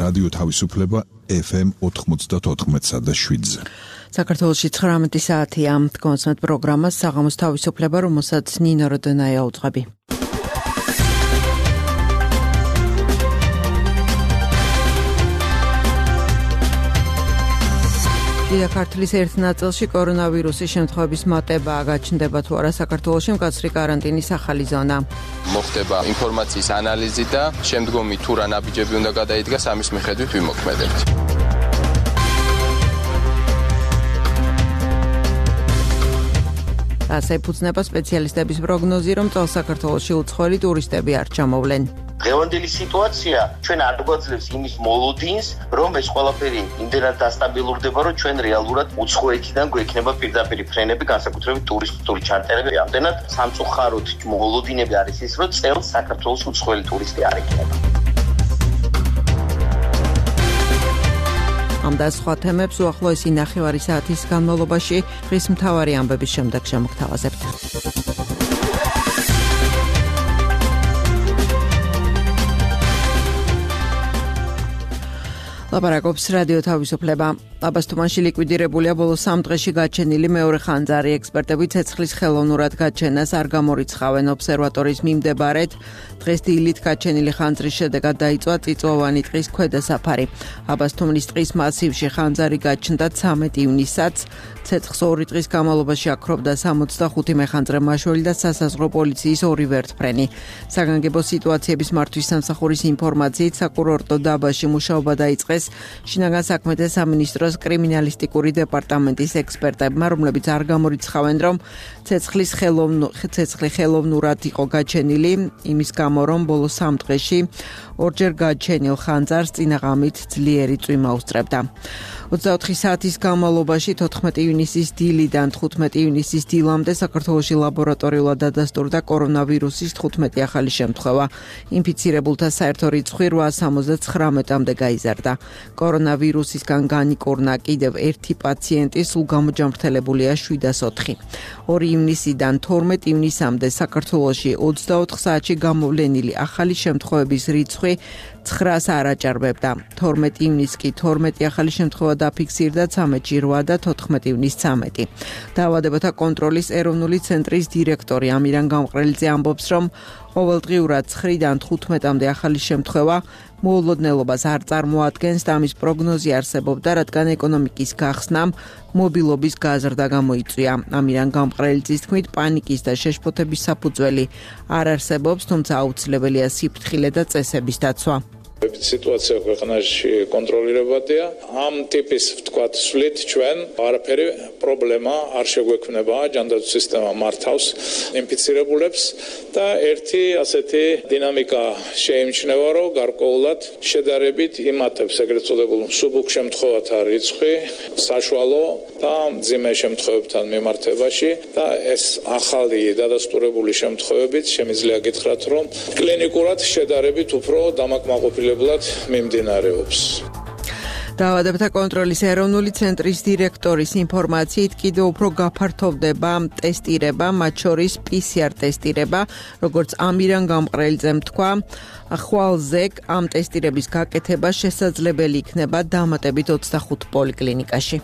რადიო თავისუფლება FM 94.7-ზე. საქართველოში 19 საათია. კონსმეთ პროგრამას საღამოს თავისუფლება, რომელსაც ნინო როდონაია უძღვები. დიახ, ქართლის ერთ ნაწილში კორონავირუსის შემთხვევების მატებაა, გაჩნდება თუ არა საქართველოში მკაცრი კარანტინის ახალი ზონა. მოხდება ინფორმაციის ანალიზი და შემდგომი თუ რა ნაბიჯები უნდა გადაიდგას, ამის მიხედვით ვიმოქმედებთ. ასე ფუძნება სპეციალისტების პროგნოზი, რომ წელს საქართველოში უცხოელი ტურისტები არ ჩამოვლენ. დღევანდელი სიტუაცია ჩვენ არ გვაძლევს იმის მოლოდინს, რომ ეს ყველაფერი იმდენად დასტაბილურდება, რომ ჩვენ რეალურად უცხოეთიდან გვექნება პირდაპირ ფრენები, განსაკუთრებით ტურისტული ჩარტერები. ამდენად სამწუხაროდ მოლოდინები არის ის, რომ წელს საქართველოს უცხოელი ტურისტი არ იქნება. ამ და სხვა თემებს უახლოესი ნახევარი საათის განმავლობაში დღის მთავარი ამბების შემდეგ შემოგთავაზებთ. ლაპარაკობს რადიო თავისუფლება. აბასთუმანში ლიკვიდირებულია ბოლო 3 დღეში გაჩენილი მეორე ხანძარი. ექსპერტები ცეცხლის ხელოვნურად გაჩენას არ გამორიცხავენ. ობსერვატორის მიმდებარედ დღეს დილით გაჩენილი ხანძრის შედეგად დაიწვა წიწვოვანი ტყის ქვედა საფარი. აბასთუმნის ტყის მასივში ხანძარი გაჩნდა 13 ივნისსაც. ცეცხლს 2 დღის განმავლობაში აქრობდა 65 მეხანძრე მაშველი და სასაზღვრო პოლიციის 2 ვერტფრენი. საგანგებო სიტუაციების მართვის სამსახურის ინფორმაციით საკურორტო დაბაში მუშაობა დაიწყეს შინაგან საქმეთა სამინისტროს კრიმინალისტიკური დეპარტამენტის ექსპერტებმა, რომლებიც არ გამორიცხავენ, რომ ცეცხლი ხელოვნურად იყო გაჩენილი, იმის გამო, რომ ბოლო 3 დღეში ორჯერ გაჩენილ ხანძარს წინაღამით ძლიერი წვიმა უსწრებდა. 24 საათის განმავლობაში 14 ივნისის დილიდან 15 ივნისის დილამდე საქართველოში ლაბორატორიულად დადასტურდა კორონავირუსის 15 ახალი შემთხვევა. ინფიცირებულთა საერთო რიცხვი 879-მდე გაიზარდა. კორონავირუსისგან განიკურნა კიდევ ერთი პაციენტი, სულ გამოჯამრთელებულია 704. 2 ივნისიდან 12 ივნისამდე საქართველოში 24 საათში გამოვლენილი ახალი შემთხვევების რიცხვი 9-ს არ აჭარბებდა. 12 ივნისს კი 12 ახალი შემთხვევა დაფიქსირდა, 13-ში 8 და 14 ივნისს 13. დაავადებათა კონტროლის ეროვნული ცენტრის დირექტორი ამირან გამყრელიძე ამბობს, რომ ყოველდღიურად 9-დან 15-მდე ახალი შემთხვევა მოულოდნელობას არ წარმოადგენს და ამის პროგნოზი არსებობდა, რადგან ეკონომიკის გახსნამ მობილობის გაზრდა გამოიწვია. ამირან გამყრელიძის თქმით, პანიკის და შეშფოთების საფუძველი არ არსებობს, თუმცა აუცილებელია სიფრთხილე და წესების დაცვა. სიტუაცია ქვეყანაში კონტროლირებადია. ამ ტიპის ვთქვათ სვლით ჩვენ არაფერი პრობლემა არ შეგვექმნება, ჯანდაცვის სისტემა მართავს ინფიცირებულებს და ერთი ასეთი დინამიკა შეიმჩნევა, რომ გარკვეულად შედარებით იმატებს ეგრეთ წოდებულ მსუბუქ შემთხვევათა რიცხვი საშუალო და მძიმე შემთხვევებთან მიმართებაში და ეს ახალი დადასტურებული შემთხვევებით შემიძლია გითხრათ, რომ კლინიკურად შედარებით უფრო დამაკმაყოფილებლად მიმდინარეობს. დაავადებათა კონტროლის ეროვნული ცენტრის დირექტორის ინფორმაციით კიდევ უფრო გაფართოვდება ტესტირება, მათ შორის PCR ტესტირება, როგორც ამირან გამყრელიძემ თქვა, ხვალზე ამ ტესტირების გაკეთება შესაძლებელი იქნება დამატებით 25 პოლიკლინიკაში.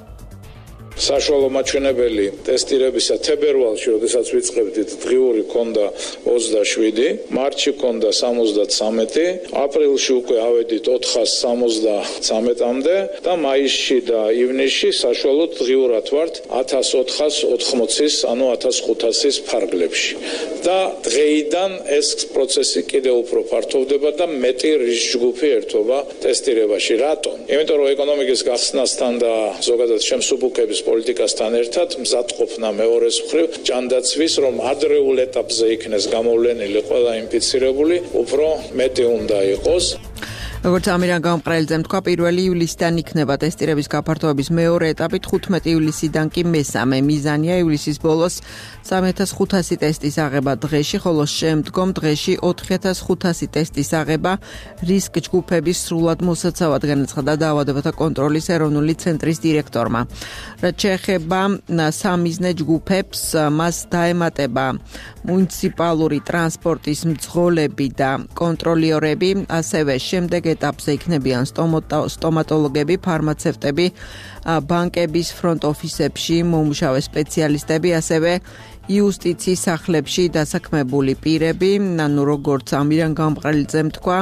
საშუალო მაჩვენებელი ტესტირებისა თებერვალში, როდესაც ვიწყებდით, დღიური ქონდა 27, მარტში ქონდა 73, აპრილში უკვე ავედით 473-მდე და მაისში და ივნისში საშუალოდ დღიურად ვართ 1480-ის, ანუ 1500-ის ფარგლებში. და დღეიდან ეს პროცესი კიდევ უფრო ფართოვდება და მეტი რისკ-ჯგუფი ერთობა ტესტირებაში. რატომ? იმიტომ რომ ეკონომიკის გახსნასთან და ზოგადად შემსუბუქების პოლიტიკასთან ერთად მზადყოფნა მეორეს მხრივ ჯანდაცვის, რომ ადრეულ ეტაპზე იქნეს გამოვლენილი ყველა ინფიცირებული, უფრო მეტი უნდა იყოს. როგორც ამირან გამყრელიძემ თქვა, 1 ივლისიდან იქნება ტესტირების გაფართოების მეორე ეტაპი, 15 ივლისიდან კი მესამე. მიზანია ივლისის ბოლოს 3500 ტესტის აღება დღეში, ხოლო შემდგომ დღეში 4500 ტესტის აღება რისკ ჯგუფების სრულად მოსაცავად, განაცხადა დაავადებათა კონტროლის ეროვნული ცენტრის დირექტორმა. რაც შეეხება სამიზნე ჯგუფებს, მას დაემატება მუნიციპალური ტრანსპორტის მძღოლები და კონტროლიორები, ასევე შემდეგ ეტაპზე იქნებიან სტომატოლოგები, ფარმაცევტები, ბანკების ფრონტ ოფისებში მომუშავე სპეციალისტები, ასევე იუსტიციის სახლებში დასაქმებული პირები, ანუ როგორც ამირან გამყრელიძემ თქვა,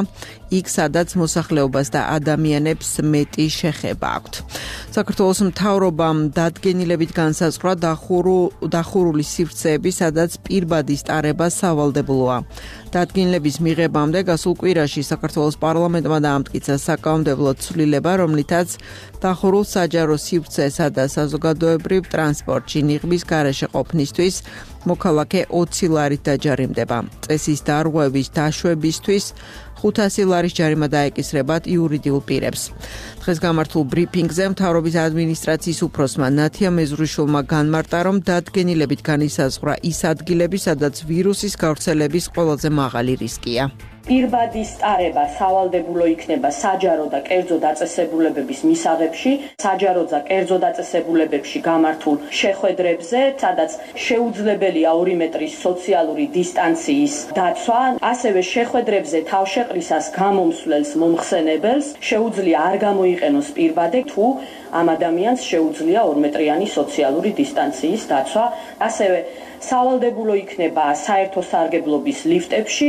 იქ სადაც მოსახლეობას და ადამიანებს მეტი შეხება აქვთ. საქართველოს მთავრობამ დადგენილებით განსაზღვრა დახურული სივრცეები, სადაც პირბადის ტარება სავალდებულოა. დადგენილების მიღებამდე გასულ კვირაში საქართველოს პარლამენტმა დაამტკიცა საკანონმდებლო ცვლილება, რომლითაც დახურულ საჯარო სივრცესა და საზოგადოებრივ ტრანსპორტში ნიღბის გარეშე ყოფნისთვის მოქალაქე 20 ლარით დაჯარიმდება. წესის დარღვევის დაშვებისთვის 500 ლარის ჯარიმა დაეკისრებათ იურიდიულ პირებს. დღეს გამართულ ბრიფინგზე მთავრობის ადმინისტრაციის უფროსმა ნათია მეზრუშვილმა განმარტა, რომ დადგენილებით განისაზღვრა ის ადგილები, სადაც ვირუსის გავრცელების ყველაზე მაღალი რისკია. პირბადის ტარება სავალდებულო იქნება საჯარო და კერძო დაწესებულებების მისაღებში, საჯარო და კერძო დაწესებულებებში გამართულ შეხვედრებზე, სადაც შეუძლებელია 2 მეტრის სოციალური დისტანციის დაცვა, ასევე შეხვედრებზე თავშეყრისას გამომსვლელს მომხსენებელს შეუძლია არ გამოიყენოს პირბადე, თუ ამ ადამიანს შეუძლია 2 მეტრიანი სოციალური დისტანციის დაცვა, ასევე სავალდებულო იქნება საერთო სარგებლობის ლიფტებში,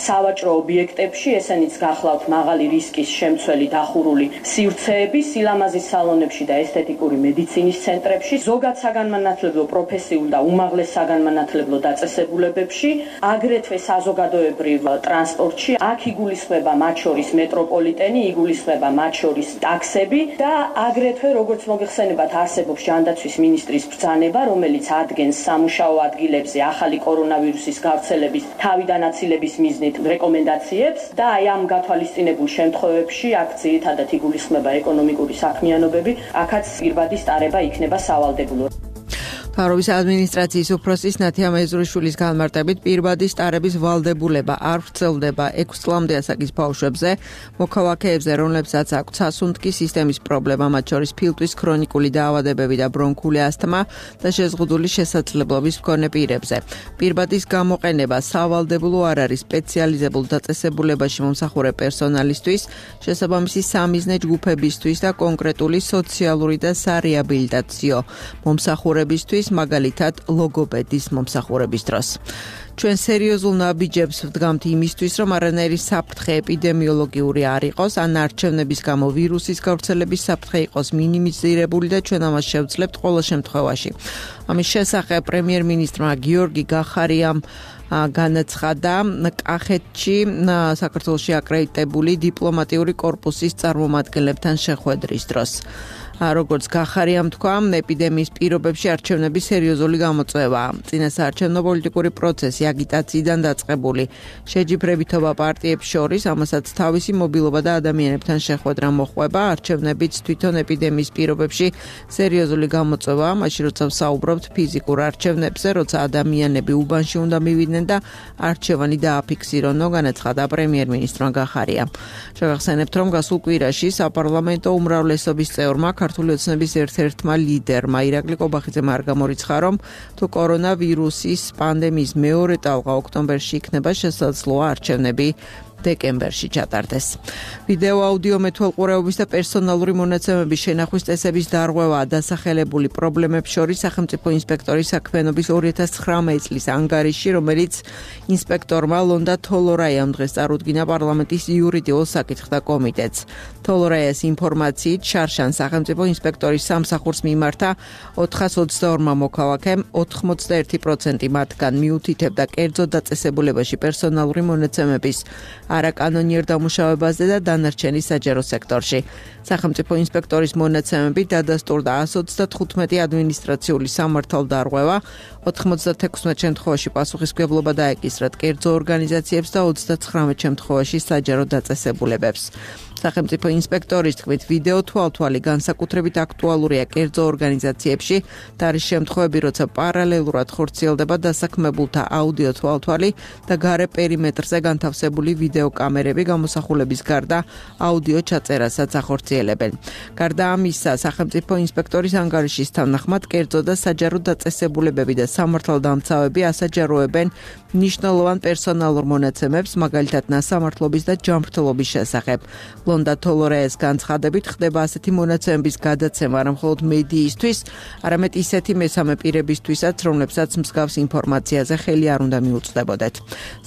სავაჭრო ობიექტებში, ესენიც გახლავთ მაღალი რისკის შემცველი დახურული სივრცეები, სილამაზის სალონებში და ესთეტიკური მედიცინის ცენტრებში, ზოგად საგანმანათლებლო პროფესიულ და უმაღლეს საგანმანათლებლო დაწესებულებებში, აგრეთვე საზოგადოებრივ ტრანსპორტში, აქ იგულისხმება მათ შორის მეტროპოლიტენი, იგულისხმება მათ შორის ტაქსები და აგრეთვე როგორც მოგეხსენებათ არსებობს ჯანდაცვის მინისტრის ბრძანება, რომელიც ადგენს სამუშაო ადგილებზე ახალი კორონავირუსის გავრცელების თავიდან აცილების მიზნით რეკომენდაციებს და აი ამ გათვალისწინებულ შემთხვევებში აქ ძირითადად იგულისხმება ეკონომიკური საქმიანობები, აქაც პირბადის ტარება იქნება სავალდებულო. მთავრობის ადმინისტრაციის უფროსის ნათია მეზრუშვილის განმარტებით პირბადის ტარების ვალდებულება არ ვრცელდება 6 წლამდე ასაკის ბავშვებზე, მოქალაქეებზე, რომლებსაც აქვთ სასუნთქი სისტემის პრობლემა, მათ შორის ფილტვის ქრონიკული დაავადებები და ბრონქული ასთმა და შეზღუდული შესაძლებლობის მქონე პირებზე. პირბადის გამოყენება სავალდებულო არ არის სპეციალიზებულ დაწესებულებაში მომსახურე პერსონალისთვის, შესაბამისი სამიზნე ჯგუფებისთვის და კონკრეტული სოციალური და სარეაბილიტაციო მომსახურებისთვის, მაგალითად ლოგოპედის მომსახურების დროს. ჩვენ სერიოზულ ნაბიჯებს ვდგამთ იმისთვის, რომ არანაირი საფრთხე ეპიდემიოლოგიური არ იყოს, ან არჩევნების გამო ვირუსის გავრცელების საფრთხე იყოს მინიმიზირებული და ჩვენ ამას შევძლებთ ყოველ შემთხვევაში. ამის შესახებ პრემიერ-მინისტრმა გიორგი გახარიამ განაცხადა კახეთში საქართველოში აკრედიტებული დიპლომატიური კორპუსის წარმომადგენლებთან შეხვედრის დროს. როგორც გახარიამ თქვა, ეპიდემიის პირობებში არჩევნები სერიოზული გამოწვევაა. წინასაარჩევნო პოლიტიკური პროცესი აგიტაციიდან დაწყებული შეჯიბრებითობა პარტიებს შორის, ამასაც თავისი მობილობა და ადამიანებთან შეხვედრა მოჰყვება. არჩევნებიც თვითონ ეპიდემიის პირობებში სერიოზული გამოწვევაა, მაშინ როცა ვსაუბრობთ ფიზიკურ არჩევნებზე, როცა ადამიანები უბანში უნდა მივიდნენ და არჩევანი დააფიქსირონო, განაცხადა პრემიერ-მინისტრმა გახარიამ. შევახსენებთ, რომ გასულ კვირაში საპარლამენტო უმრავლესობის წევრმა ქართული ოცნების ერთ-ერთმა ლიდერმა ირაკლი კობახიძემ არ გამორიცხა, რომ თუ კორონავირუსის პანდემიის მეორე ტალღა ოქტომბერში იქნება, შესაძლოა არჩევნები დეკემბერში ჩატარდეს. ვიდეო აუდიო მეთვალყურეობის და პერსონალური მონაცემების შენახვის წესების დარღვევაა დასახელებული პრობლემებს შორის სახელმწიფო ინსპექტორის საქმიანობის 2019 წლის ანგარიში, რომელიც ინსპექტორმა ლონდა თოლორაიამ დღეს წარუდგინა პარლამენტის იურიდიულ საკითხთა კომიტეტს. თოლორაიას ინფორმაციით შარშან სახელმწიფო ინსპექტორის სამსახურს მიმართა 422 მოქალაქემ, 81% მათგან მიუთითებდა კერძო დაწესებულებაში პერსონალური მონაცემების არაკანონიერ დამუშავებაზე და დანარჩენი საჯარო სექტორში. სახელმწიფო ინსპექტორის მონაცემები დადასტურდა 135 ადმინისტრაციული სამართალდარღვევა, 96 შემთხვევაში პასუხისმგებლობა დაეკისრათ კერძო ორგანიზაციებს და 39 შემთხვევაში საჯარო დაწესებულებებს. სახელმწიფო ინსპექტორის თქმით, ვიდეო თვალთვალი განსაკუთრებით აქტუალურია კერძო ორგანიზაციებში და არის შემთხვევები, როცა პარალელურად ხორციელდება დასაქმებულთა აუდიო თვალთვალი და გარე პერიმეტრზე განთავსებული ვიდეო ვიდეო კამერები გამოსახულების გარდა აუდიო ჩაწერასაც ახორციელებენ. გარდა ამისა, სახელმწიფო ინსპექტორის ანგარიშის თანახმად კერძო და საჯარო დაწესებულებები და სამართალდამცავები ასაჯაროებენ მნიშვნელოვან პერსონალურ მონაცემებს, მაგალითად ნასამართლობის და ჯანმრთელობის შესახებ. ლონდა თოლორეეს განცხადებით ხდება ასეთი მონაცემების გადაცემა არა მხოლოდ მედიისთვის, არამედ ისეთი მესამე პირებისთვისაც, რომლებსაც მსგავს ინფორმაციაზე ხელი არ უნდა მიუწვდებოდეთ.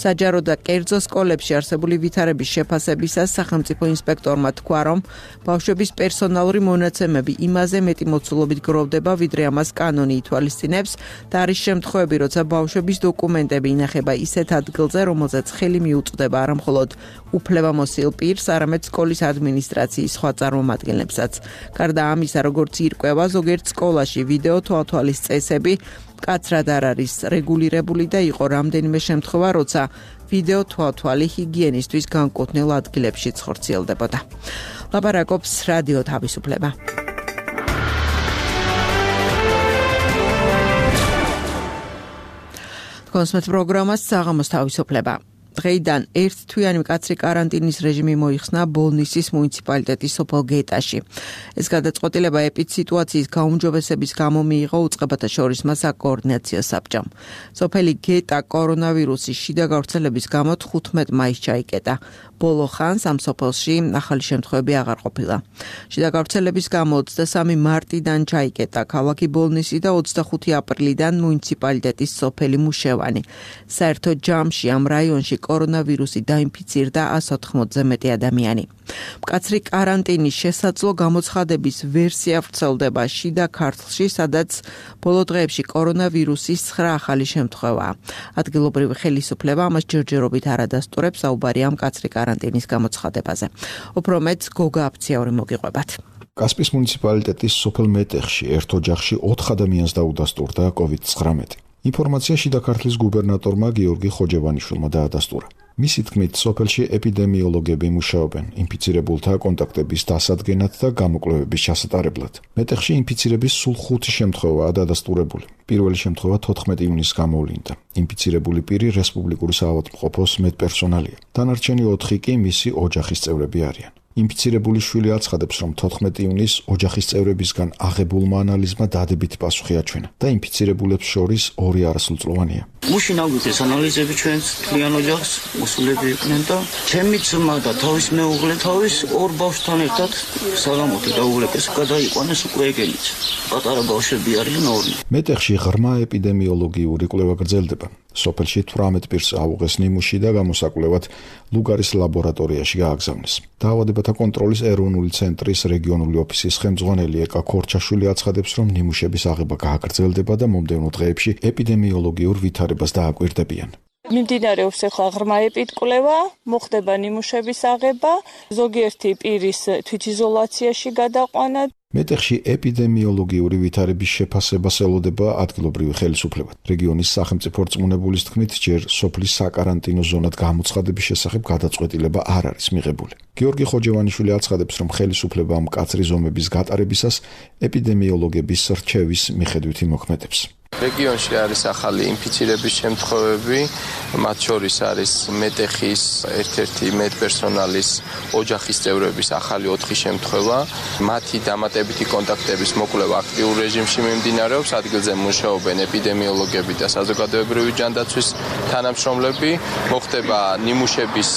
საჯარო და კერძო სკოლებში არსებული ვითარების შეფასებისას სახელმწიფო ინსპექტორმა თქვა, რომ ბავშვების პერსონალური მონაცემები იმაზე მეტი მოცულობით გროვდება, ვიდრე ამას კანონი ითვალისწინებს და არის შემთხვევები, როცა ბავშვების დოკუმენტები ინახება ისეთ ადგილზე, რომელზეც ხელი მიუწვდება არა მხოლოდ უფლებამოსილ პირს, არამედ სკოლის ადმინისტრაციის სხვა წარმომადგენლებსაც. გარდა ამისა, როგორც ირკვევა, ზოგიერთ სკოლაში ვიდეო თვალთვალის წესები მკაცრად არ არის რეგულირებული და იყო რამდენიმე შემთხვევა, როცა ვიდეო თვალთვალი ჰიგიენისთვის განკუთვნილ ადგილებშიც ხორციელდებოდა. ლაპარაკობს რადიო თავისუფლება. კონსმეთ პროგრამას საღამოს თავისუფლება. დღეიდან ერთთვიანი მკაცრი კარანტინის რეჟიმი მოიხსნა ბოლნისის მუნიციპალიტეტის სოფელ გეტაში. ეს გადაწყვეტილება ეპიდსიტუაციის გაუმჯობესების გამო მიიღო უწყებათა შორის საკოორდინაციო საბჭომ. სოფელი გეტა კორონავირუსის შიდა გავრცელების გამო 15 მაისს ჩაიკეტა. ბოლო ხანს ამ სოფელში ახალი შემთხვევები აღარ ყოფილა. შიდა გავრცელების გამო 23 მარტიდან ჩაიკეტა ქალაქი ბოლნისი და 25 აპრილიდან მუნიციპალიტეტის სოფელი მუშევანი. საერთო ჯამში ამ რაიონში კორონავირუსი დაინფიცირდა 180-ზე მეტი ადამიანი. მკაცრი კარანტინის შესაძლო გამოცხადების ვერსია ვრცელდება შიდა ქართლში, სადაც ბოლო დღეებში კორონავირუსის 9 ახალი შემთხვევაა. ადგილობრივი ხელისუფლება ამას ჯერჯერობით არ ადასტურებს, საუბარია მკაცრი კარანტინის გამოცხადებაზე. უფრო მეტ გოგა აფციაური მოგიყვებათ. კასპის მუნიციპალიტეტის სოფელ მეტეხში ერთ ოჯახში 4 ადამიანს დაუდასტურდა COVID-19. ინფორმაცია შიდა ქართლის გუბერნატორმა გიორგი ხოჯევანიშვილმა დაადასტურა. მისი თქმით, სოფელში ეპიდემიოლოგები მუშაობენ ინფიცირებულთა კონტაქტების დასადგენად და გამოკვლევების ჩასატარებლად. მეტეხში ინფიცირების სულ 5 შემთხვევაა დადასტურებული. პირველი შემთხვევა 14 ივნისს გამოვლინდა. ინფიცირებული პირი რესპუბლიკური საავადმყოფოს მედპერსონალია. დანარჩენი 4 კი მისი ოჯახის წევრები არიან. ინფიცირებული შვილი აცხადებს, რომ 14 ივნისს ოჯახის წევრებისგან აღებულმა ანალიზმა დადებითი პასუხი აჩვენა და ინფიცირებულებს შორის 2 არასრულწლოვანია. მუშინ აგვიდეს ანალიზები ჩვენს თლიან ოჯახს, მოსულები იყვნენ და ჩემი ძმა და თავის მეუღლე თავის 2 ბავშვთან ერთად საღამოთი დაუღლეს, გადაიყვანეს უკვე ეგენიც. პატარა ბავშვები არიან 2. მეტეხში ღრმა ეპიდემიოლოგიური კვლევა გრძელდება. სოფელში 18 პირს აუღეს ნიმუში და გამოსაკვლევად ლუგარის ლაბორატორიაში გააგზავნეს. დაავადებათა კონტროლის ეროვნული ცენტრის რეგიონული ოფისის ხელმძღვანელი ეკა ქორჩაშვილი აცხადებს, რომ ნიმუშების აღება გააგრძელდება და მომდევნო დღეებში ეპიდემიოლოგიურ ვითარებას დააკვირდებიან. მიმდინარეობს ახლა ღრმა ეპიდკვლევა, მოხდება ნიმუშების აღება, ზოგიერთი პირის თვითიზოლაციაში გადაყვანა. მეტეხში ეპიდემიოლოგიური ვითარების შეფასებას ელოდება ადგილობრივი ხელისუფლება. რეგიონის სახელმწიფო რწმუნებულის თქმით, ჯერ სოფლის საკარანტინო ზონად გამოცხადების შესახებ გადაწყვეტილება არ არის მიღებული. გიორგი ხოჯევანიშვილი აცხადებს, რომ ხელისუფლება მკაცრი ზომების გატარებისას ეპიდემიოლოგების რჩევის მიხედვით იმოქმედებს. რეგიონში არის ახალი ინფიცირების შემთხვევები, მათ შორის არის მეტეხის ერთ-ერთი მედპერსონალის ოჯახის წევრების ახალი 4 შემთხვევა. მათი დამატებითი კონტაქტების მოკვლევა აქტიურ რეჟიმში მიმდინარეობს, ადგილზე მუშაობენ ეპიდემიოლოგები და საზოგადოებრივი ჯანდაცვის თანამშრომლები. მოხდება ნიმუშების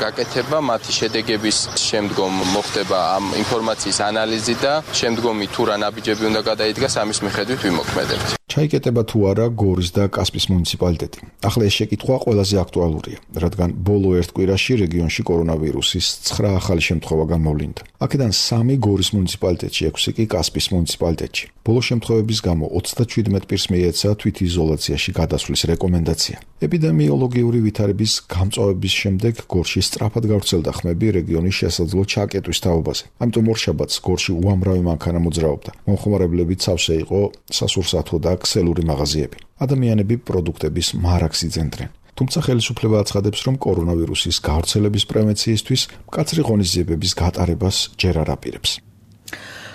გაკეთება, მათი შედეგების შემდგომ მოხდება ამ ინფორმაციის ანალიზი და შემდგომი თუ რა ნაბიჯები უნდა გადაიდგას, ამის მიხედვით ვიმოქმედებთ. ჩაიკეტება თუ არა გორის და კასპის მუნიციპალიტეტი. ახლა ეს შეკითხვა ყველაზე აქტუალურია, რადგან ბოლო ერთ კვირაში რეგიონში კორონავირუსის 9 ახალი შემთხვევა გამოვლინდა. აქედან 3 გორის მუნიციპალიტეტში, 6 კი კასპის მუნიციპალიტეტში. ბოლო შემთხვევების გამო 37 პირს მიეცა თვითიზოლაციაში გადასვლის რეკომენდაცია. ეპიდემიოლოგიური ვითარების გამწვავების შემდეგ გორში სწრაფად გავრცელდა ხმები რეგიონის შესაძლო ჩაკეტვის თაობაზე. ამიტომ ორშაბათს გორში უამრავი მანქანა მოძრაობდა. მომხმარებლებით სავსე იყო სასურსათო და ქსელური მაღაზიები. ადამიანები პროდუქტების მარაგს იძენდნენ. თუმცა ხელისუფლება აცხადებს, რომ კორონავირუსის გავრცელების პრევენციისთვის მკაცრი ღონისძიებების გატარებას ჯერ არ აპირებს.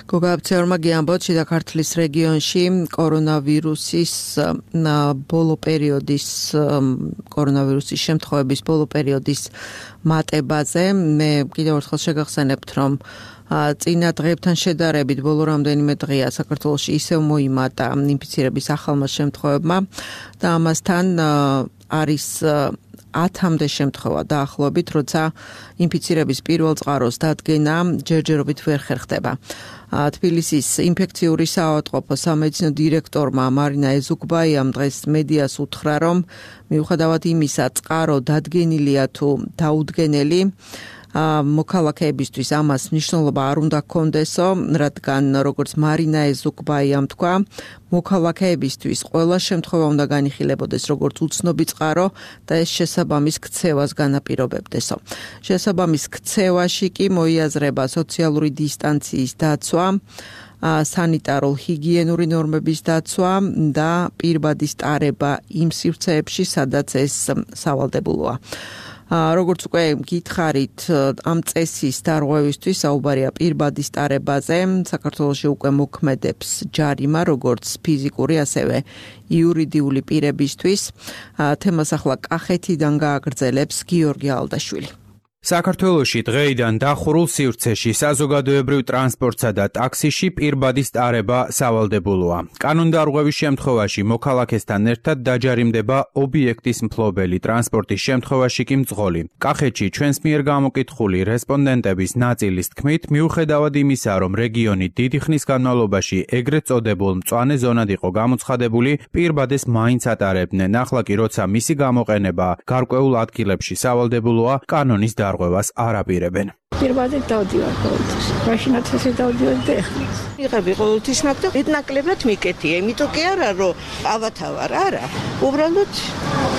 გოგაბცეორმა გიამბოთ შიდა-ქართლის რეგიონში კორონავირუსის შემთხვევების ბოლო პერიოდის მატებაზე მე კიდევ ერთხელ შეგახსენებთ, რომ წინა დღეებთან შედარებით ბოლო რამდენიმე დღეა საქართველოში ისევ მოიმატა ინფიცირების ახალმა შემთხვევებმა და ამასთან არის 10-მდე შემთხვევა დაახლოებით, როცა ინფიცირების პირველ წყაროს დადგენა ჯერჯერობით ვერ ხერხდება. თბილისის ინფექციური საავადმყოფო სამედიცინო დირექტორმა მარინა ეზუკბაიამ დღეს მედიას უთხრა, რომ მიუხედავად იმისა, წყარო დადგენილია თუ დაუდგენელი, მოქალაქეებისთვის ამას მნიშვნელობა არ უნდა ჰქონდესო, რადგან როგორც მარინა ეზუკბაიამ თქვა, მოქალაქეებისთვის ყველა შემთხვევა უნდა განიხილებოდეს როგორც უცნობი წყარო და ეს შესაბამის ქცევას განაპირობებდესო. შესაბამის ქცევაში კი მოიაზრება სოციალური დისტანციის დაცვა, სანიტარულ-ჰიგიენური ნორმების დაცვა და პირბადის ტარება იმ სივრცეებში, სადაც ეს სავალდებულოა. როგორც უკვე გითხარით, ამ წესის დარღვევისთვის საუბარია პირბადის ტარებაზე. საქართველოში უკვე მოქმედებს ჯარიმა, როგორც ფიზიკური, ასევე იურიდიული პირებისთვის. თემას ახლა კახეთიდან გააგრძელებს გიორგი ალდაშვილი. საქართველოში დღეიდან დახურულ სივრცეში საზოგადოებრივ ტრანსპორტსა და ტაქსიში პირბადის ტარება სავალდებულოა. კანონდარღვევის შემთხვევაში მოქალაქესთან ერთად დაჯარიმდება ობიექტის მფლობელი, ტრანსპორტის შემთხვევაში კი მძღოლი. კახეთში ჩვენს მიერ გამოკითხული რესპონდენტების ნაწილის თქმით, მიუხედავად იმისა, რომ რეგიონი დიდი ხნის განმავლობაში ეგრეთ წოდებულ მწვანე ზონად იყო გამოცხადებული, პირბადეს მაინც ატარებდნენ. ახლა კი როცა მისი გამოყენება გარკვეულ ადგილებში სავალდებულოა, კანონის დარღვევას არ აპირებენ. პირბადით დავდივარ ყოველთვის. მაშინაც ესე დავდივარ და ეხლა. იღები ყოველთვის მაგ და ნაკლებად მიკეთია, იმიტომ კი არა რომ ავათავარ, არა. უბრალოდ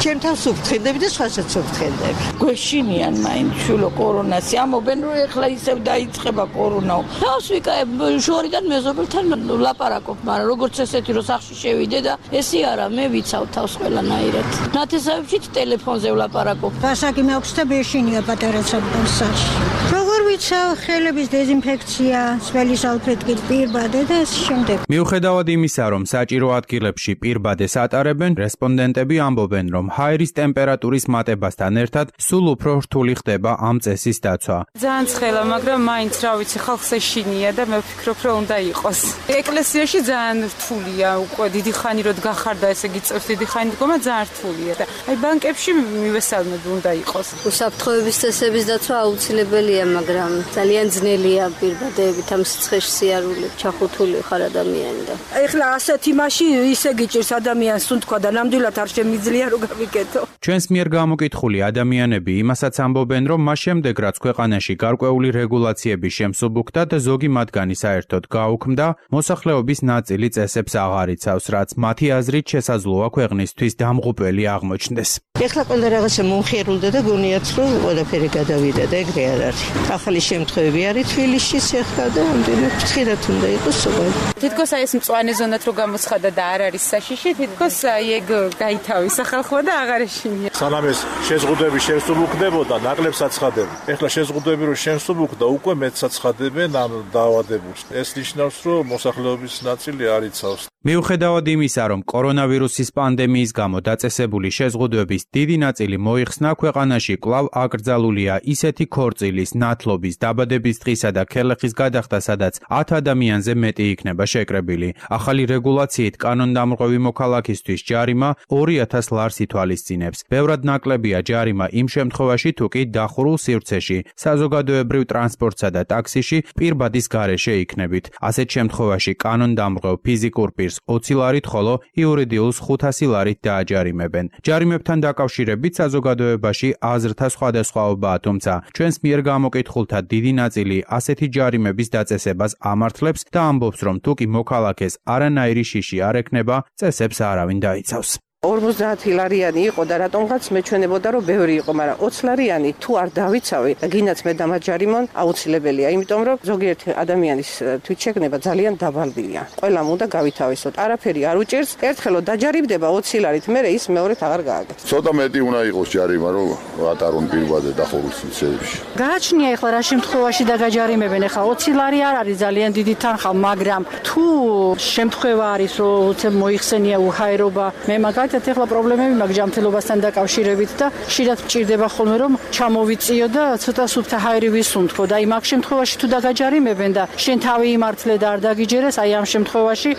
ჩემ თავს ვფრთხილდები და სხვასაც ვფრთხილდები. გვეშინიან მაინც შულო კორონას, ამობენ რომ ეხლა ისევ დაიწყება კორონა. თავს ვიკაებ შორიდან მეზობელთან ლაპარაკობ, მაგრამ როგორც ესეთი რომ სახში შევიდე და ესე არა, მე ვიცავ თავს ყველანაირად. ნათესავებშიც ტელეფონზე ვლაპარაკობ. გასაკი მაქვს და ბეშინია პატარა საფრთხეში. როგორ ვიცავ, ხელების დეზინფექცია, სველი სალფეტკი, პირბადე და ამ შემდეგ. მიუხედავად იმისა, რომ საჭირო ადგილებში პირბადეს ატარებენ, რესპონდენტები ამბობენ, რომ ჰაერის ტემპერატურის მატებასთან ერთად სულ უფრო რთული ხდება ამ წესის დაცვა. ძალიან ცხელა, მაგრამ მაინც რა ვიცი, ხალხს ეშინია და მე ვფიქრობ, რომ უნდა იყოს. ეკლესიაში ძალიან რთულია, უკვე დიდი ხანი რომ გახარდა, ესე იგი წევს დიდი ხანი დგომა ძალიან რთულია და აი ბანკებში მივესალმები უნდა იყოს. უსაფრთხოების წესების დაცვა აუცილებელია, მაგრამ ძალიან ძნელია პირბადეებით ამ სიცხეში სიარული ჩახუთული ხარ ადამიანი და ეხლა ასეთ იმაში ისე გიჭირს ადამიანს თქო და ნამდვილად არ შემიძლია რომ გავიკეთო. ჩვენს მიერ გამოკითხული ადამიანები იმასაც ამბობენ, რომ მას შემდეგ რაც ქვეყანაში გარკვეული რეგულაციების შემსუბუქდა და ზოგი მათგანი საერთოდ გაუქმდა, მოსახლეობის ნაწილი წესებს აღარ იცავს, რაც მათი აზრით შესაძლოა ქვეყნისთვის დამღუპველი აღმოჩნდეს. ეხლა ყველა რაღაცა მომხიარულდა და გონიათ რომ ყველაფერი გადავიდა და ეგრე არ არის. ახალი შემთხვევები არის თბილისში ეხლა და ამდენად ფრთხილად უნდა იყოს სულ. თითქოს აი ეს მწვანე ზონად რო გამოცხადა და არ არის საშიში, თითქოს აი ეგ გაითავისა ხალხმა და აღარ ეშინია. სანამ ეს შეზღუდვები შემსუბუქდებოდა, ნაკლებს აცხადებენ. ეხლა შეზღუდვები რო შემსუბუქდა, უკვე მეტს აცხადებენ ამ დაავადებულს. ეს ნიშნავს, რომ მოსახლეობის ნაწილი არ იცავს. მიუხედავად იმისა, რომ კორონავირუსის პანდემიის გამო დაწესებული შეზღუდვების დიდი ნაწილი მოიხსნა, ქვეყანაში კვლავ აკრძალულია ისეთი ქორწილის, ნათლობის, დაბადების დღისა და ქელეხის გადახდა, სადაც 10 ადამიანზე მეტი იქნება შეკრებილი. ახალი რეგულაციით კანონდამრღვევი მოქალაქისთვის ჯარიმა 2000 ლარს ითვალისწინებს. ბევრად ნაკლებია ჯარიმა იმ შემთხვევაში, თუ კი დახურულ სივრცეში, საზოგადოებრივ ტრანსპორტსა და ტაქსიში პირბადის გარეშე იქნებით. ასეთ შემთხვევაში კანონდამრღვევ ფიზიკურ პირს 20 ლარით, ხოლო იურიდიულს 500 ლარით დააჯარიმებენ. ჯარიმებთან დაკავშირებით საზოგადოებაში აზრთა სხვადასხვაობაა, თუმცა ჩვენს მიერ გამოკითხულთა დიდი ნაწილი ასეთი ჯარიმების დაწესებას ამართლებს და ამბობს, რომ თუ კი მოქალაქეს არანაირი შიში არ ექნება, წესებს არავინ დაიცავს. 50 ლარიანი იყო და რატომღაც მეჩვენებოდა რომ ბევრი იყო, მაგრამ 20 ლარიანი თუ არ დავიცავი და გინდაც მე დამაჯარიმონ აუცილებელია, იმიტომ რომ ზოგიერთი ადამიანის თვითშეგნება ძალიან დაბალია. ყველამ უნდა გავითავისოთ. არაფერი არ უჭერს, ერთხელო დაჯარიმდება 20 ლარით, მერე ის მეორედ აღარ გააგებს. ცოტა მეტი უნდა იყოს ჯარიმა, რომ ატარონ პირვადე დახურვის. გააჩნია ეხლა რა შემთხვევაში დაგაჯარიმებენ, ეხლა 20 ლარი არ არის ძალიან დიდი თანხა, მაგრამ თუ შემთხვევა არის რომ უცებ მოიხსენია უჰაერობა, მე მაგალითად ეხლა პრობლემები მაქვს ჯანმრთელობასთან დაკავშირებით და ხშირად მჭირდება ხოლმე რომ ჩამოვიწიო და ცოტა სუფთა ჰაერი ვისუნთქო და აი მაგ შემთხვევაში თუ დაგაჯარიმებენ და შენ თავი იმართლე და არ დაგიჯერეს, აი ამ შემთხვევაში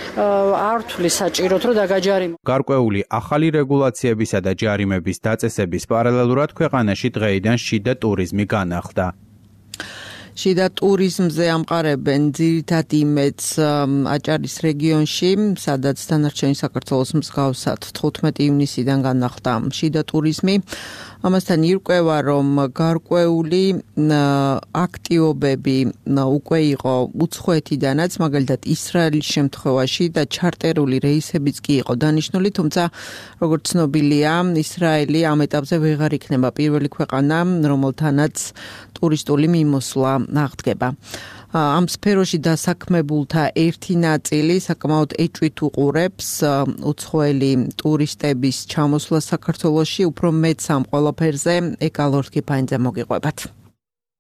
არ თვლის საჭიროდ რომ დაგაჯარიმო. გარკვეული ახალი რეგულაციებისა და ჯარიმების დაწესების პარალელურად ქვეყანაში დღეიდან შიდა ტურიზმი განახლდა. შიდა ტურიზმზე ამყარებენ ძირითად იმედს აჭარის რეგიონში, სადაც დანარჩენი საქართველოს მსგავსად 15 ივნისიდან განახლდა შიდა ტურიზმი. ამასთან ირკვევა, რომ გარკვეული აქტივობები უკვე იყო უცხოეთიდანაც, მაგალითად ისრაელის შემთხვევაში და ჩარტერული რეისებიც კი იყო დანიშნული, თუმცა როგორც ცნობილია, ისრაელი ამ ეტაპზე ვეღარ იქნება პირველი ქვეყანა, რომელთანაც ტურისტული მიმოსვლა აღდგება. ამ სფეროში დასაქმებულთა ერთი ნაწილი საკმაოდ ეჭვით უყურებს უცხოელი ტურისტების ჩამოსვლას საქართველოში, უფრო მეც ამ ყველაფერზე ეკალორქიფაინზე მოგიყვებათ.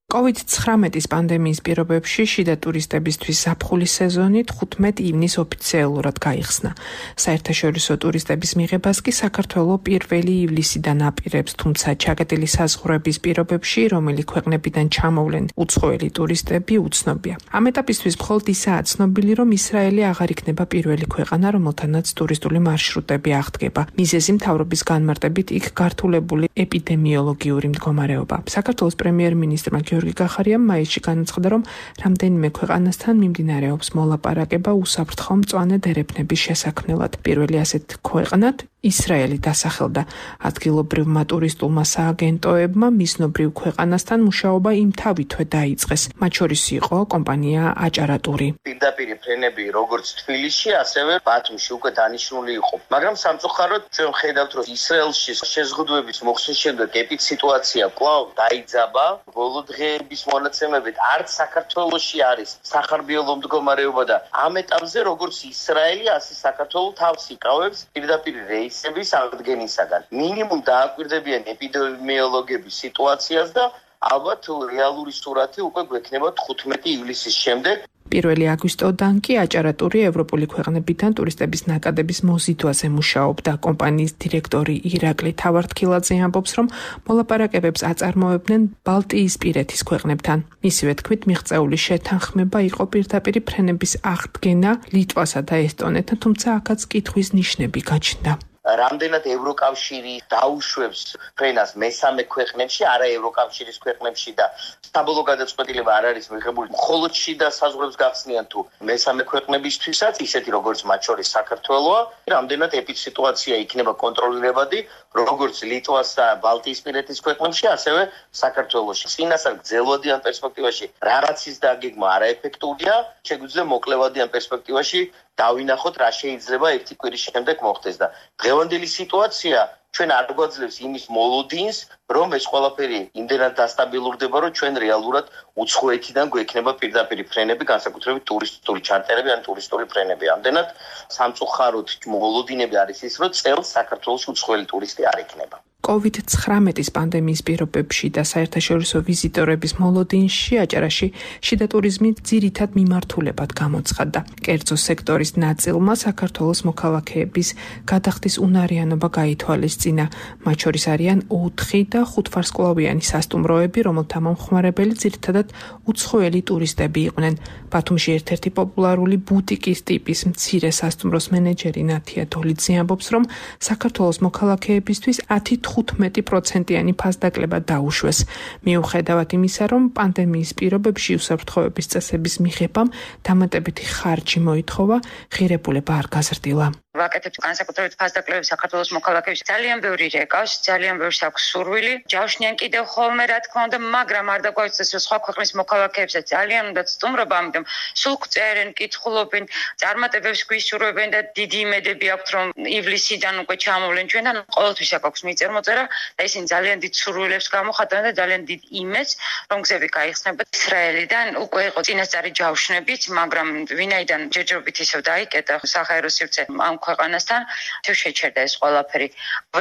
COVID-19 პანდემიის პირობებში შიდა ტურისტებისთვის ზაფხულის სეზონი 15 ივნის ოფიციალურად გაიხსნა. საერთაშორისო ტურისტების მიღებას კი საქართველო 1 ივლისიდან აპირებს, თუმცა ჩაკეტილი საზღვრების პირობებში, რომელი ქვეყნებიდან ჩამოვლენ უცხოელი ტურისტები, უცნობია. ამ ეტაპისთვის მხოლოდ ისაა ცნობილი, რომ ისრაელი აღარ იქნება პირველი ქვეყანა, რომელთანაც ტურისტული მარშრუტები აღდგება. მიზეზი მთავრობის განმარტებით იქ გართულებული ეპიდემიოლოგიური მდგომარეობა. საქართველოს პრემიერ-მინისტრმა გიორგი კახარიამ მაისში განაცხადა, რომ რამდენიმე ქვეყანასთან მიმდინარეობს მოლაპარაკება უსაფრთხო მწვანე დერეფნების შესაქმნელად. პირველი ასეთ ქვეყნად ისრაელი დასახელდა. ადგილობრივმა ტურისტულმა სააგენტოებმა მიზნობრივ ქვეყანასთან მუშაობა იმთავითვე დაიწყეს. მათ შორის იყო კომპანია აჭარატური. პირდაპირ ფრენები როგორც თბილისში, ასევე ბათუმში უკვე დანიშნული იყო. მაგრამ სამწუხაროდ ჩვენ ხედავთ, რომ ისრაელში შეზღუდვების მოხსნის შემდეგ ეპიდსიტუაცია კვლავ დაიძაბა. ბოლო დღეების მონაცემებით არც საქართველოში არის სახარბიელო მდგომარეობა და ამ ეტაპზე როგორც ისრაელი, ასე საქართველო თავს იკავებს პირდაპირ რეისების აღდგენისაგან. მინიმუმ დააკვირდებიან ეპიდემიოლოგების სიტუაციას და ალბათ რეალური სურათი უკვე გვექნება 15 ივლისის შემდეგ. 1 აგვისტოდან კი აჭარატური ევროპული ქვეყნებიდან ტურისტების ნაკადების მოზიდვაზე მუშაობდა. კომპანიის დირექტორი ირაკლი თავართქილაძე ამბობს, რომ მოლაპარაკებებს აწარმოებდნენ ბალტიისპირეთის ქვეყნებთან. მისივე თქმით, მიღწეული შეთანხმება იყო პირდაპირ ფრენების აღდგენა ლიტვასა და ესტონეთთან, თუმცა აქაც კითხვის ნიშნები გაჩნდა. რამდენად ევროკავშირი დაუშვებს ფრენას მესამე ქვეყნებში, არა ევროკავშირის ქვეყნებში და საბოლოო გადაწყვეტილება არ არის მიღებული მხოლოდ შიდა საზღვრებს გახსნიან თუ მესამე ქვეყნებისთვისაც, ისეთი როგორც მათ შორის საქართველოა, რამდენად ეპიდსიტუაცია იქნება კონტროლირებადი, როგორც ლიტვას და ბალტიისპირეთის ქვეყნებში, ასევე საქართველოში. წინასწარ გრძელვადიან პერსპექტივაში რაღაცის დაგეგმა არაეფექტურია, შეგვიძლია მოკლევადიან პერსპექტივაში დავინახოთ რა შეიძლება ერთი კვირის შემდეგ მოხდეს და დღევანდელი სიტუაცია ჩვენ არ გვაძლევს იმის მოლოდინს, რომ ეს ყველაფერი იმდენად დასტაბილურდება, რომ ჩვენ რეალურად უცხოეთიდან გვექნება პირდაპირ ფრენები, განსაკუთრებით ტურისტული ჩარტერები ან ტურისტული ფრენები. ამდენად სამწუხაროდ მოლოდინები არის ის, რომ წელს საქართველოს უცხოელი ტურისტი არ იქნება. COVID-19 პანდემიის პირობებში და საერთაშორისო ვიზიტორების მოლოდინში აჭარაში შიდა ტურიზმი ძირითად მიმართულებად გამოცხადდა. კერძო სექტორის ნაწილმა საქართველოს მოქალაქეების გადახდის უნარიანობა გაითვალისწინა. მათ შორის არიან 4 და 5 ვარსკვლავიანი სასტუმროები, რომელთა მომხმარებელი ძირითადად უცხოელი ტურისტები იყვნენ. ბათუმში ერთ-ერთი პოპულარული ბუტიკის ტიპის მცირე სასტუმროს მენეჯერი ნათია დოლიძე ამბობს, რომ საქართველოს მოქალაქეებისთვის 10-15%-იანი ფასდაკლება დაუშვეს. მიუხედავად იმისა, რომ პანდემიის პირობებში უსაფრთხოების წესების მიღებამ დამატებითი ხარჯი მოითხოვა, ღირებულება არ გაზრდილა. ვაკეთებთ განსაკუთრებით ფასდაკლებებს საქართველოს მოქალაქეებს ძალიან ბევრი რეკავს, ძალიან ბევრს აქვს სურვილი. ჯავშნიან კიდევ ხოლმე რა თქმა უნდა, მაგრამ არ დაგვაიცეს რომ სხვა ქვეყნის მოქალაქეებსაც ძალიან უნდა სტუმრობა, ამიტომ სულ წერენ, კითხულობენ, წარმატებებს გვისურვებენ და დიდი იმედები აქვთ რომ ივლისიდან უკვე ჩამოვლენ ჩვენთან. ყოველთვის აქვს მიწერ-მოწერა და ისინი ძალიან დიდ სურვილებს გამოხატავენ და ძალიან დიდ იმედს რომ გზები გაიხსნება. ისრაელიდან უკვე იყო წინასწარი ჯავშნებით, მაგრამ ვინაიდან ჯერჯერობით ისევ დაიკეტა საჰაერო სივრცე ამ ქვეყანასთან, თევ შეჩერდა ეს ყველაფერი.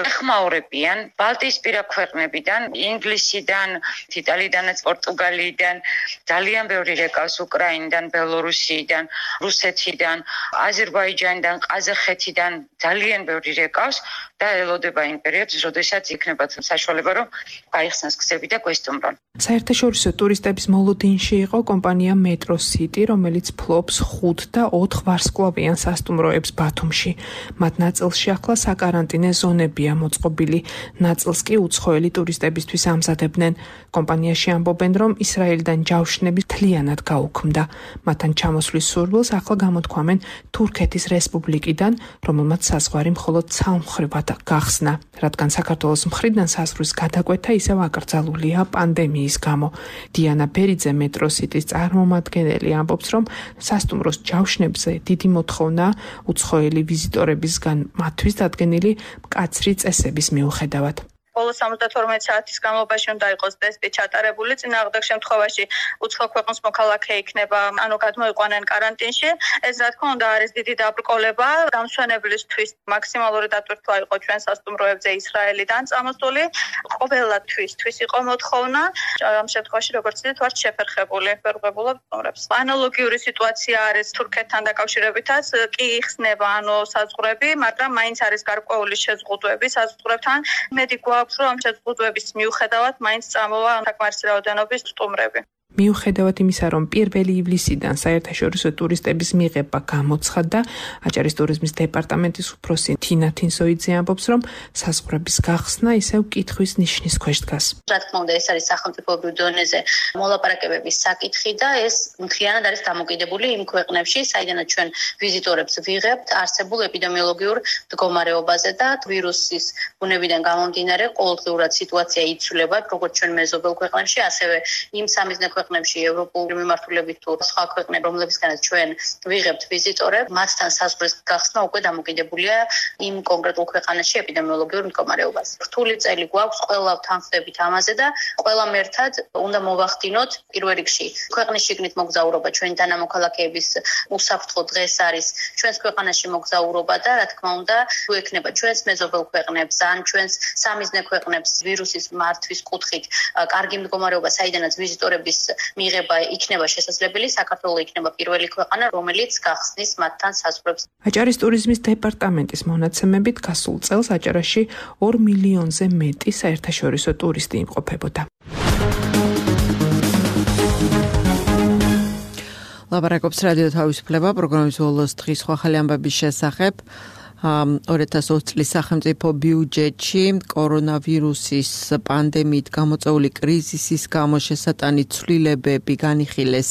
ეხმაურებიან ბალტიისპირა ქვეყნებიდან, ინგლისიდან, იტალიიდანაც, პორტუგალიიდან, ძალიან ბევრი რეკავს უკრაინიდან, ბელორუსიიდან, რუსეთიდან, აზერბაიჯანიდან, ყაზახეთიდან ძალიან ბევრი რეკავს და ელოდება იმ პერიოდს, როდესაც იქნებათ საშუალება რომ გაიხსნას გზები და გვესტუმრონ. საერთაშორისო ტურისტების მოლოდინში იყო კომპანია Metro City, რომელიც ფლობს 5 და 4 ვარსკვლავიან სასტუმროებს ბათუმში. მათ ნაწილში ახლა საკარანტინე ზონებია მოწყობილი, ნაწილს კი უცხოელი ტურისტებისთვის ამზადებდნენ. კომპანიაში ამბობენ, რომ ისრაელიდან ჯავშნები მთლიანად გაუქმდა. მათთან ჩამოსვლის სურვილს ახლა გამოთქვამენ თურქეთის რესპუბლიკიდან, რომელმაც საზღვარი მხოლოდ ცალმხრივად გახსნა, რადგან საქართველოს მხრიდან საზღვრის გადაკვეთა ისევ აკრძალულია პანდემიის გამო. დიანა ბერიძე Metro City-ის წარმომადგენელი ამბობს, რომ სასტუმროს ჯავშნებზე დიდი მოთხოვნა უცხოელი ვიზიტორებისგან მათთვის დადგენილი მკაცრი წესების მიუხედავად. ბოლო 72 საათის განმავლობაში უნდა იყოს ტესტი ჩატარებული, წინააღმდეგ შემთხვევაში უცხო ქვეყნის მოქალაქე იქნება, ანუ გადმოიყვანენ კარანტინში. ეს რა თქმა უნდა არის დიდი დაბრკოლება. დამსვენებლისთვის მაქსიმალური დატვირთვა იყო ჩვენ სასტუმროებზე ისრაელიდან წამოსული. ყოველათვისთვის იყო მოთხოვნა. ამ შემთხვევაში როგორც იცით, ვართ შეფერხებული ვერღებულობ სტუმრებს. ანალოგიური სიტუაცია არის თურქეთთან დაკავშირებითაც, კი იხსნება ანუ საზღვრები, მაგრამ მაინც არის გარკვეული შეზღუდვები საზღვრებთან. მედი გვაქვს რომ ამ შეზღუდვების მიუხედავად მაინც წამოვა საკმარისი რაოდენობის სტუმრები. მიუხედავად იმისა, რომ 1 ივლისიდან საერთაშორისო ტურისტების მიღება გამოცხადდა, აჭარის ტურიზმის დეპარტამენტის უფროსი თინა თინსოიძე ამბობს, რომ საზღვრების გახსნა ისევ კითხვის ნიშნის ქვეშ დგას. რა თქმა უნდა, ეს არის სახელმწიფოებრივ დონეზე მოლაპარაკებების საკითხი და ეს მთლიანად არის დამოკიდებული იმ ქვეყნებში, საიდანაც ჩვენ ვიზიტორებს ვიღებთ არსებულ ეპიდემიოლოგიურ მდგომარეობაზე და ვირუსის ბუნებიდან გამომდინარე ყოველდღიურად სიტუაცია იცვლება, როგორც ჩვენ მეზობელ ქვეყნებში, ასევე იმ სამიზნე ქვეყნებში, ევროპული მიმართულებით თუ სხვა ქვეყნები, რომლებისგანაც ჩვენ ვიღებთ ვიზიტორებს, მათთან საზღვრის გახსნა უკვე დამოკიდებულია იმ კონკრეტულ ქვეყანაში ეპიდემიოლოგიურ მდგომარეობაზე. რთული წელი გვაქვს, ყველა თანხმდებით ამაზე და ყველამ ერთად უნდა მოვახდინოთ პირველ რიგში ქვეყნის შიგნით მოგზაურობა, ჩვენი თანამოქალაქეების უსაფრთხო დღეს არის ჩვენს ქვეყანაში მოგზაურობა და რა თქმა უნდა, თუ ექნება ჩვენს მეზობელ ქვეყნებს ან ჩვენს სამიზნე ქვეყნებს ვირუსის მართვის კუთხით კარგი მდგომარეობა, საიდანაც ვიზიტორების მიღება იქნება შესაძლებელი, საქართველო იქნება პირველი ქვეყანა, რომელიც გახსნის მათთან საზღვრებს. აჭარის ტურიზმის დეპარტამენტის მონაცემებით გასულ წელს აჭარაში 2 მილიონზე მეტი საერთაშორისო ტურისტი იმყოფებოდა. ლაპარაკობს რადიო თავისუფლება პროგრამის ბოლოს დღის ახალი ამბების შესახებ. 2020 წლის სახელმწიფო ბიუჯეტში კორონავირუსის პანდემიით გამოწვეული კრიზისის გამო შესატანი ცვლილებები განიხილეს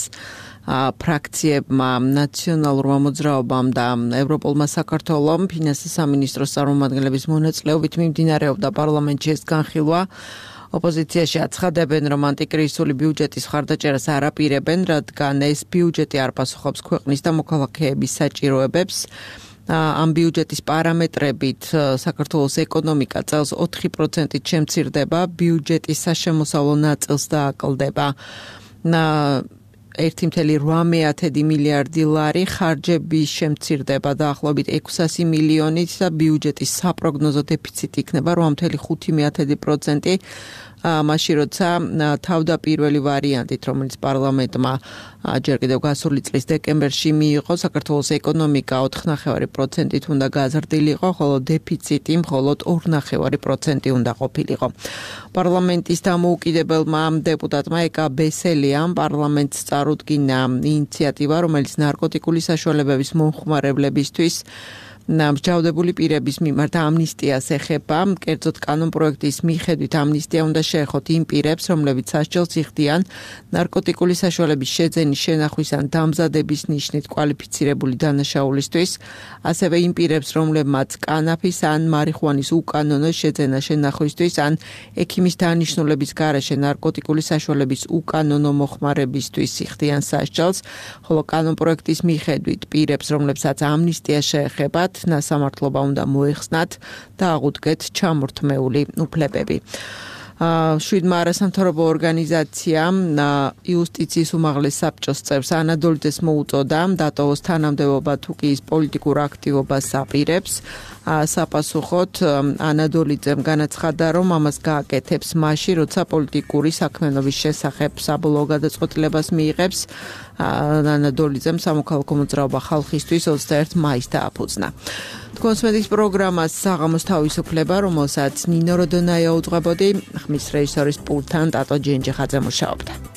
ფრაქციებმა, ნაციონალურმა მოძრაობამ და ევროპულმა საქართველომ. ფინანსის სამინისტროს წარმომადგენლების მონაწილეობით მიმდინარეობდა პარლამენტში ეს განხილვა. ოპოზიციაში აცხადებენ, რომ ანტიკრიზისული ბიუჯეტის მხარდაჭერას არ აპირებენ, რადგან ეს ბიუჯეტი არ პასუხობს ქვეყნის და მოქალაქეების საჭიროებებს. ამ ბიუჯეტის პარამეტრებით საქართველოს ეკონომიკა წელს 4%-ით შემცირდება, ბიუჯეტის საშემოსავლო ნაწილს დააკლდება 1.8 მილიარდი ლარი, ხარჯები შემცირდება დაახლოებით 600 მილიონით და ბიუჯეტის საპროგნოზო დეფიციტი იქნება 8.5%. მაშინ როცა თავდაპირველი ვარიანტით, რომელიც პარლამენტმა ჯერ კიდევ გასული წლის დეკემბერში მიიღო, საქართველოს ეკონომიკა 4.5%-ით უნდა გაზრდილიყო, ხოლო დეფიციტი მხოლოდ 2.5% უნდა ყოფილიყო. პარლამენტის დამოუკიდებელმა დეპუტატმა ეკა ბესელიამ პარლამენტს წარუდგინა ინიციატივა, რომელიც ნარკოტიკული საშუალებების მომხმარებლებისთვის მსჯავრდებული პირების მიმართ ამნისტიას ეხება. კერძოდ კანონპროექტის მიხედვით ამნისტია უნდა შეეხოთ იმ პირებს, რომლებიც სასჯელს იხდიან ნარკოტიკული საშუალების შეძენის, შენახვის ან დამზადების ნიშნით კვალიფიცირებული დანაშაულისთვის, ასევე იმ პირებს, რომლებმაც კანაფის ან მარიხუანის უკანონო შეძენა შენახვისთვის ან ექიმის დანიშნულების გარეშე ნარკოტიკული საშუალების უკანონო მოხმარებისთვის იხდიან სასჯელს, ხოლო კანონპროექტის მიხედვით პირებს, რომლებსაც ამნისტია შეეხებათ, ნასამართლობა უნდა მოეხსნათ და აღუდგეთ ჩამორთმეული უფლებები. შვიდმა არასამთავრობო ორგანიზაციამ იუსტიციის უმაღლეს საბჭოს წევრს ანადოლიძეს მოუწოდა დატოვოს თანამდებობა თუ კი ის პოლიტიკურ აქტივობას აპირებს. საპასუხოდ ანადოლიძემ განაცხადა, რომ ამას გააკეთებს მაშინ, როცა პოლიტიკური საქმიანობის შესახებ საბოლოო გადაწყვეტილებას მიიღებს. ანადოლიძემ სამოქალაქო მოძრაობა ხალხისთვის 21 მაისს დააფუძნა. თქვენს მედის პროგრამას საღამოს თავისუფლება, რომელსაც ნინო როდონაია უძღვებოდი, ხმის რეჟისორის პულტთან ტატო ჯენჯიხაძე მუშაობდა.